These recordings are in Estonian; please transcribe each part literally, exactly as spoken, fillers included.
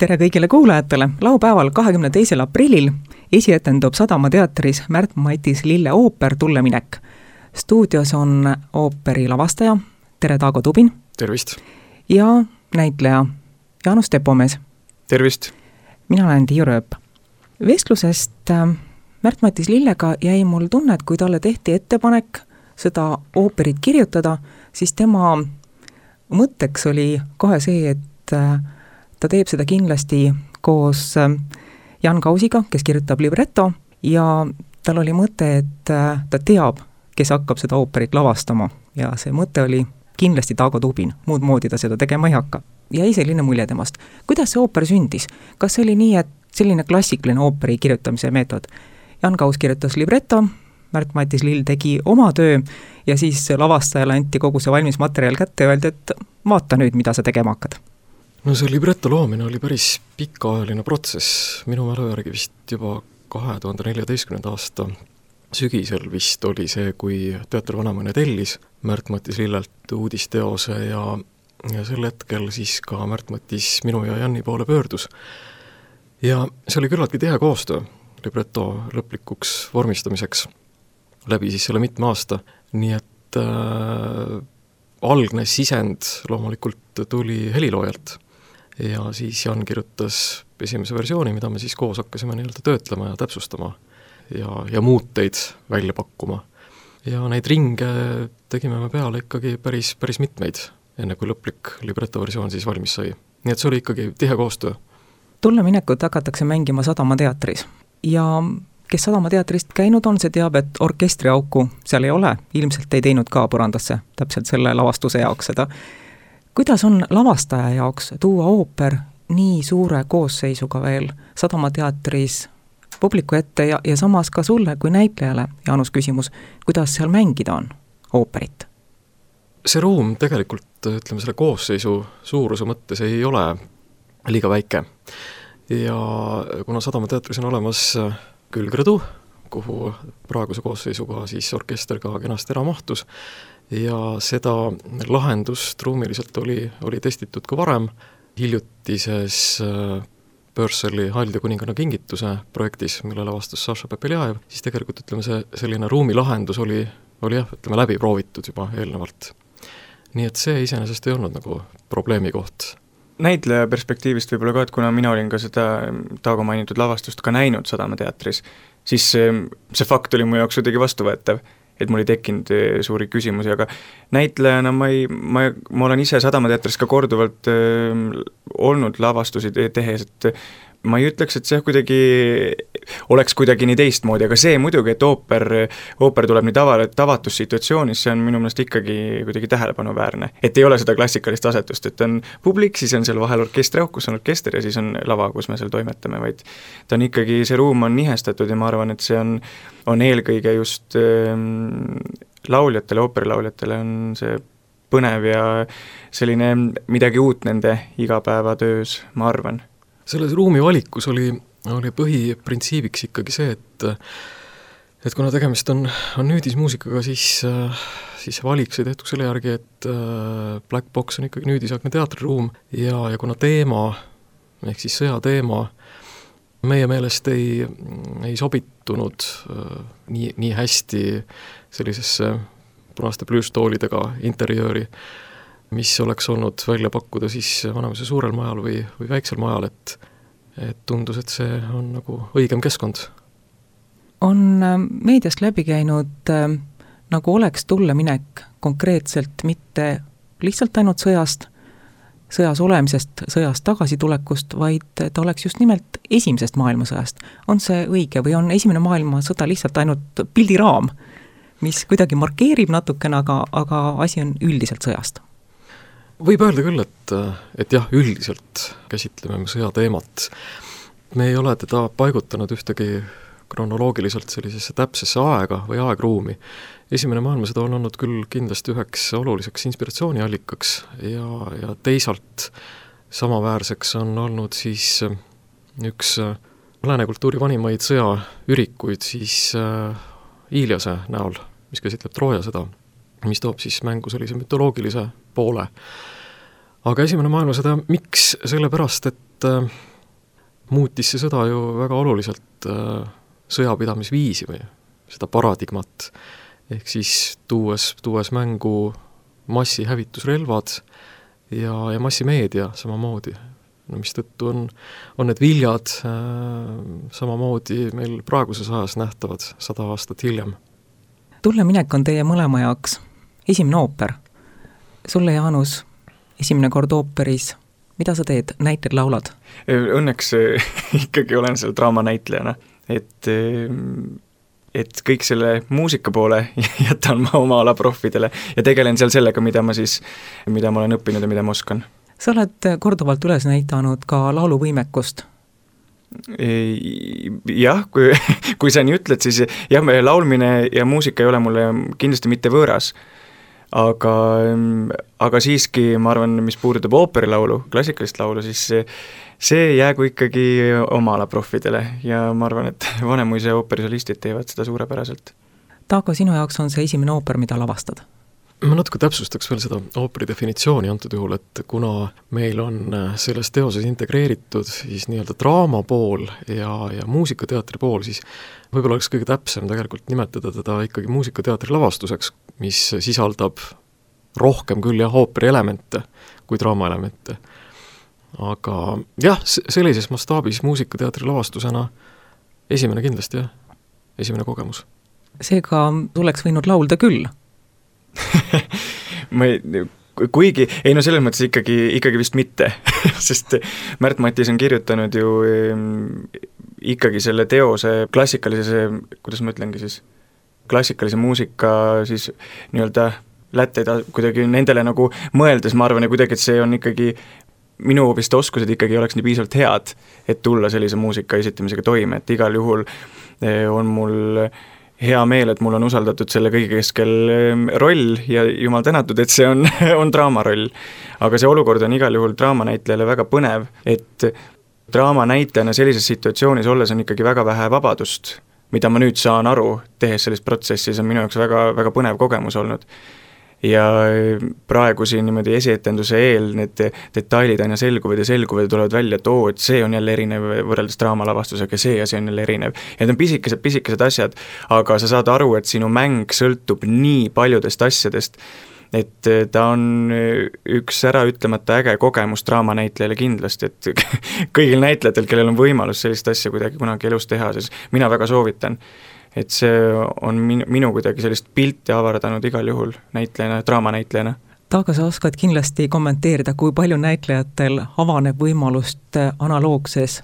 tere kõigile kuulajatele! Laupäeval kahekümne teisel aprillil esietendub Sadama teatris Märt-Matis Lille ooper Tulleminek. Stuudios on ooperi lavastaja Tere Taago Tubin. Tervist! Ja näitleja Jaanus Tepomees. Tervist! Mina olen Tiiu Rööp. Vestlusest Märt-Matis Lillega jäi mul tunne, et kui talle tehti ettepanek seda ooperit kirjutada, siis tema mõtteks oli kohe see, et ta teeb seda kindlasti koos Jan Kausiga, kes kirjutab libretto, ja tal oli mõte, et ta teab, kes hakkab seda ooperit lavastama. Ja see mõte oli kindlasti Taago Tubin, muud moodi ta seda tegema ei hakka. Jäi selline mulje temast. Kuidas see ooper sündis? Kas see oli nii, et selline klassikaline ooperi kirjutamise meetod? Jan Kaus kirjutas libretto, Märt-Matis Lill tegi oma töö ja siis lavastajale anti kogu see valmis materjal kätte ja öeldi, et vaata nüüd, mida sa tegema hakkad. No see libretto loomine oli päris pikaajaline protsess, minu mälu järgi vist juba kahe tuhande neljateistkümnenda aasta sügisel vist oli see, kui Teater Vanamaine tellis Märt-Matis Lillelt uudisteose ja, ja sel hetkel siis ka Märt-Matis minu ja Janni poole pöördus. Ja see oli küllaltki tihe koostöö libretto lõplikuks vormistamiseks läbi siis selle mitme aasta, nii et äh, algne sisend loomulikult tuli heliloojalt. Ja siis Jan kirjutas esimese versiooni, mida me siis koos hakkasime nii-öelda töötlema ja täpsustama ja, ja muuteid välja pakkuma. Ja neid ringe tegime me peale ikkagi päris, päris mitmeid, enne kui lõplik libretto versioon siis valmis sai. Nii et see oli ikkagi tihe koostöö. Tulleminekut hakatakse mängima Sadama teatris ja kes Sadama teatrist käinud on, see teab, et orkestriauku seal ei ole, ilmselt ei teinud ka põrandasse täpselt selle lavastuse jaoks seda. Kuidas on lavastaja jaoks tuua ooper nii suure koosseisuga veel Sadama teatris publiku ette ja, ja samas ka sulle kui näitlejale, Jaanus, küsimus, kuidas seal mängida on ooperit? See ruum tegelikult, ütleme selle koosseisu suuruse mõttes ei ole liiga väike ja kuna Sadama teatris on olemas külgrõdu, kuhu praeguse koosseisuga siis orkester ka kenasti ära mahtus, ja seda lahendust ruumiliselt oli, oli testitud ka varem hiljutises Pörseli Hald ja kuninganna kingituse projektis, mille lavastas Saša Pepeljaev, siis tegelikult ütleme see selline ruumilahendus oli, oli jah, ütleme läbi proovitud juba eelnevalt. Nii et see iseenesest ei olnud nagu probleemi koht. Näitleja perspektiivist võib-olla ka, et kuna mina olin ka seda Taago mainitud lavastust ka näinud Sadama teatris, siis see, see fakt oli mu jaoks kuidagi vastuvõetav, et mul ei tekkinud suuri küsimusi, aga näitlejana ma, ei, ma, ma olen ise Sadama teatris ka korduvalt äh, olnud lavastusi tehes, et ma ei ütleks, et see kuidagi oleks kuidagi nii teistmoodi, aga see muidugi, et ooper, ooper tuleb nii tava, tavatus situatsioonis, see on minu meelest ikkagi kuidagi tähelepanuväärne. Et ei ole seda klassikalist asetust, et on publik, siis on seal vahel orkestriauk, kus on orkester ja siis on lava, kus me seal toimetame, vaid ta on ikkagi, see ruum on nihestatud ja ma arvan, et see on, on eelkõige just ähm, lauljatele, ooperilauljatele on see põnev ja selline midagi uut nende igapäevatöös, ma arvan. Selles ruumi valikus oli, oli põhiprintsiibiks ikkagi see, et, et kuna tegemist on, on nüüdismuusikaga, siis, siis valik sai tehtud selle järgi, et Black Box on ikkagi nüüdisaegne teatriruum ja, ja kuna teema, ehk siis sõjateema, meie meelest ei, ei sobitunud nii, nii hästi sellisesse punaste plüüstoolidega interjööri, mis oleks olnud välja pakkuda siis Vanamaise suurel majal või, või väiksel majal, et, et tundus, et see on nagu õigem keskkond. On meediast läbi käinud äh, nagu oleks tulleminek konkreetselt mitte lihtsalt ainult sõjast, sõjas olemisest, sõjast tagasitulekust, vaid ta oleks just nimelt esimesest maailmasõjast. On see õige või on esimene maailmasõda lihtsalt ainult pildiraam, mis kuidagi markeerib natukene, aga, aga asi on üldiselt sõjast? Võib öelda küll, et, et jah, üldiselt käsitleme sõja teemat. Me ei ole teda paigutanud ühtegi kronoloogiliselt sellisesse täpsesse aega või aegruumi. Esimene maailmasõda on olnud küll kindlasti üheks oluliseks inspiratsiooniallikaks ja, ja teisalt samaväärseks on olnud siis üks lääne kultuuri vanimaid sõjaürikuid siis Iiliase näol, mis käsitleb Trooja sõda, mis toob siis mängu sellise mütoloogilise poole. Aga esimene maailmasõda, miks? Sellepärast, et muutis see sõda ju väga oluliselt äh, sõjapidamisviisi või seda paradigmat, ehk siis tuues, tuues mängu massihävitusrelvad ja, ja massimeedia samamoodi, no mistõttu on, on need viljad äh, samamoodi meil praeguses ajas nähtavad sada aastat hiljem. Tulleminek on teie mõlema jaoks esimene ooper. Sulle, Jaanus, esimene kord ooperis, mida sa teed, näitled, laulad? Õnneks ikkagi olen seal draamanäitlejana, et, et kõik selle muusika poole jätan ma oma ala profidele ja tegelen seal sellega, mida ma siis, mida ma olen õppinud ja mida ma oskan. Sa oled korduvalt üles näitanud ka lauluvõimekust. Jah, kui, kui sa nii ütled, siis jah, laulmine ja muusika ei ole mulle kindlasti mitte võõras, aga, aga siiski ma arvan, mis puudutab ooperilaulu, klassikalist laulu, siis see, see jäägu ikkagi oma ala profidele ja ma arvan, et Vanemuise ooperisolistid teevad seda suurepäraselt. Taago, sinu jaoks on see esimene ooper, mida lavastad? Ma natuke täpsustaks veel seda ooperi definitsiooni antud juhul, et kuna meil on selles teoses integreeritud siis nii-öelda draama pool ja, ja muusikateatri pool, siis võib-olla oleks kõige täpsem tegelikult nimetada teda ikkagi muusikateatri lavastuseks, mis sisaldab rohkem küll jah, ooperi elemente kui draama elemente. Aga jah, sellises mastaabis muusikateatri lavastusena esimene kindlasti jah, esimene kogemus. Seega tuleks võinud laulda küll? ma ei, kuigi, ei no selles mõttes ikkagi, ikkagi vist mitte, sest Märt Mattis on kirjutanud ju ikkagi selle teose klassikalise, kuidas ma ütlengi siis, klassikalise muusika siis nii-öelda lätteida kuidagi nendele nagu mõeldes, ma arvan, ja kuidagi, et see on ikkagi, minu vist oskused ikkagi oleks nii piisavalt head, et tulla sellise muusika esitamisega toime, et igal juhul on mul hea meel, et mul on usaldatud selle kõige keskel roll ja jumal tänatud, et see on, on draamaroll. Aga see olukord on igal juhul draamanäitlejale väga põnev, et draamanäitlejana sellises situatsioonis olles on ikkagi väga vähe vabadust, mida ma nüüd saan aru, tehes sellist protsessi, see on minu jaoks väga, väga põnev kogemus olnud. Ja praegu siin niimoodi esietenduse eel need detailid aina selguvad ja selguvad ja tulevad välja, et oo, et see on jälle erinev võrreldes draamalavastusega, see ja see on jälle erinev. Ja need on pisikesed, pisikesed asjad, aga sa saad aru, et sinu mäng sõltub nii paljudest asjadest, et ta on üks ära ütlemata äge kogemus draamanäitlejale kindlasti, et kõigil näitlejatel, kellel on võimalus sellist asja kuidagi kunagi elus teha, siis mina väga soovitan. Et see on minu, minu kuidagi sellist pilti avardanud igal juhul näitlejana, draamanäitlejana. Taago, sa oskad kindlasti kommenteerida, kui palju näitlejatel avaneb võimalust analoogses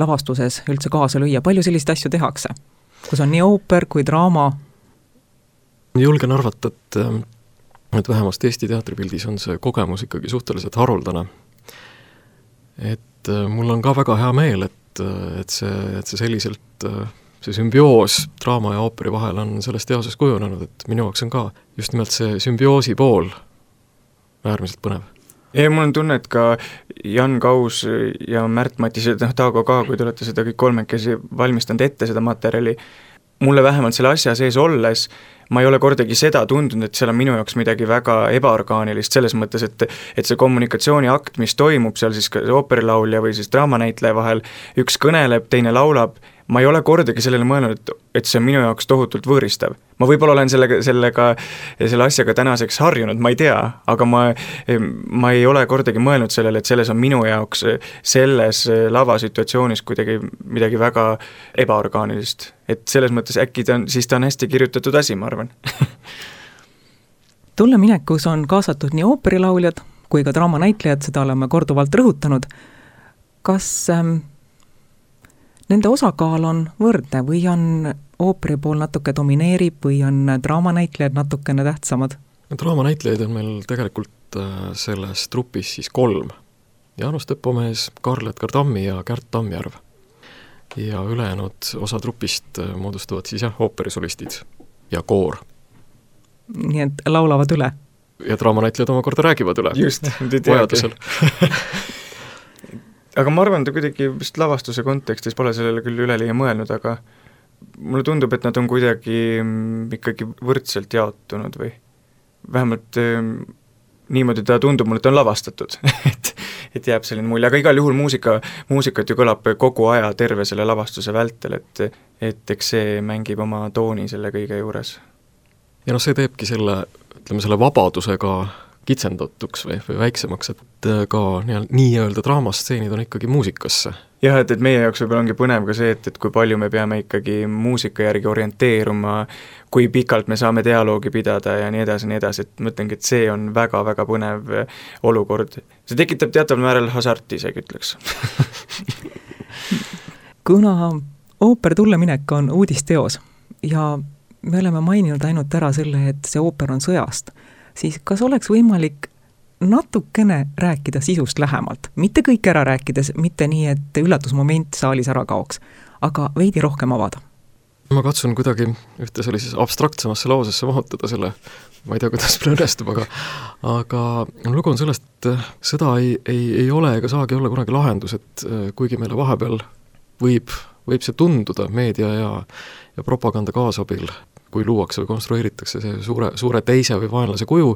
lavastuses üldse kaasa lüüa, palju sellist asju tehakse? Kus on nii ooper kui draama? Julgen arvata, et, et vähemasti Eesti teatripildis on see kogemus ikkagi suhteliselt haruldane. Et mul on ka väga hea meel, et, et, see, et see selliselt see sümbioos draama ja ooperi vahel on selles teoses kujunenud, et minu jaoks on ka just nimelt see sümbioosi pool äärmiselt põnev. Ja mul on tunne, et ka Jan Kaus ja Märt Mattis ja Taago ka, kui te olete seda kõik kolmekesi valmistanud ette seda materjali, mulle vähemalt selle asja sees olles, ma ei ole kordagi seda tundunud, et seal on minu jaoks midagi väga ebaorgaanilist selles mõttes, et, et see kommunikatsiooniakt, mis toimub seal siis ooperilaulja või siis draamanäitleja vahel, üks kõneleb, teine laulab, ma ei ole kordagi sellele mõelnud, et see on minu jaoks tohutult võõristav. Ma võib-olla olen sellega, sellega, selle asjaga tänaseks harjunud, ma ei tea, aga ma, ma ei ole kordagi mõelnud sellele, et selles on minu jaoks selles lavasituatsioonis kuidagi midagi väga ebaorgaanilist. Et selles mõttes äkki ta on, siis ta on hästi kirjutatud asi, ma arvan. Tulleminekus on kaasatud nii ooperilauljad kui ka draamanäitlejad, seda oleme korduvalt rõhutanud. Kas ähm, nende osakaal on võrdne või on ooperi pool natuke domineerib või on draamanäitlejad natukene tähtsamad? Draamanäitlejaid on meil tegelikult selles trupis siis kolm. Jaanus Teppomees, Karl-Edgar Tammi ja Kärt Tammjärv. Ja ülejäänud osa trupist moodustavad siis jah, ooperisolistid ja koor. Nii et laulavad üle? Ja draamanäitlejad omakorda räägivad üle. Just, vajadusel. Aga ma arvan, et kuidagi vist lavastuse kontekstis pole sellele küll üleliia mõelnud, aga mulle tundub, et nad on kuidagi ikkagi võrdselt jaotunud või vähemalt niimoodi ta tundub mulle, et on lavastatud. et, et jääb selline mulje, aga igal juhul muusika, muusikat ju kõlab kogu aja terve selle lavastuse vältel, et et eks see mängib oma tooni selle kõige juures. Ja noh, see teebki selle, ütleme selle vabadusega kitsendatuks või, või väiksemaks, et ka nii-öelda draamastseenid on ikkagi muusikasse. Jah, et, et meie jaoks võib-olla ongi põnev ka see, et, et kui palju me peame ikkagi muusika järgi orienteeruma, kui pikalt me saame dialoogi pidada ja nii edasi, nii edasi, et mõtlengi, et see on väga-väga põnev olukord. See tekitab teataval määral hasarti, isegi ütleks. Kuna ooper tulleminek on uudisteos ja me oleme maininud ainult ära selle, et see ooper on sõjast, siis kas oleks võimalik natukene rääkida sisust lähemalt, mitte kõik ära rääkides, mitte nii, et üllatusmoment saalis ära kaoks, aga veidi rohkem avada? Ma katsun kuidagi ühte sellises abstraktsemasse lausesse mahutada selle, ma ei tea, kuidas meil õnnestub, aga aga lugu on sellest, et seda ei, ei, ei ole ega saagi olla kunagi lahendus, et kuigi meile vahepeal võib, võib see tunduda meedia ja, ja propaganda kaasabil, kui luuakse või konstrueeritakse see suure, suure teise või vaenlase kuju,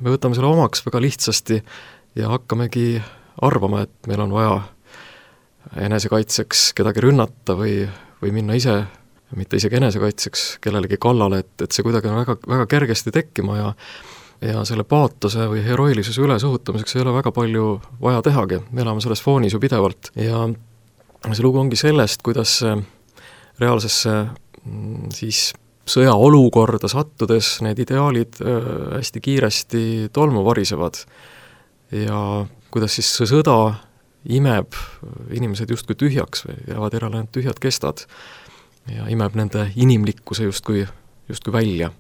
me võtame selle omaks väga lihtsasti ja hakkamegi arvama, et meil on vaja enesekaitseks kedagi rünnata või, või minna ise, mitte isegi enesekaitseks kellelegi kallale, et, et see kuidagi on väga, väga kergesti tekkima ja ja selle paatose või heroilisuse ülesuhutamiseks ei ole väga palju vaja tehagi, me elame selles foonis ju pidevalt ja see lugu ongi sellest, kuidas reaalsesse siis sõjaolukorda sattudes need ideaalid äh, hästi kiiresti tolmu varisevad ja kuidas siis see sõda imeb inimesed justkui tühjaks või jäävad järele ainult tühjad kestad ja imeb nende inimlikkuse justkui, justkui välja.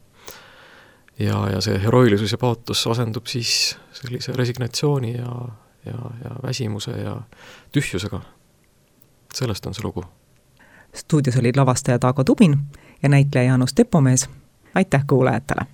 Ja, ja see heroilisus ja paatos asendub siis sellise resignatsiooni ja, ja, ja väsimuse ja tühjusega. Sellest on see lugu. Stuudios olid lavastaja Taago Tubin ja näitleja Jaanus Tepomees. Aitäh kuulajatele!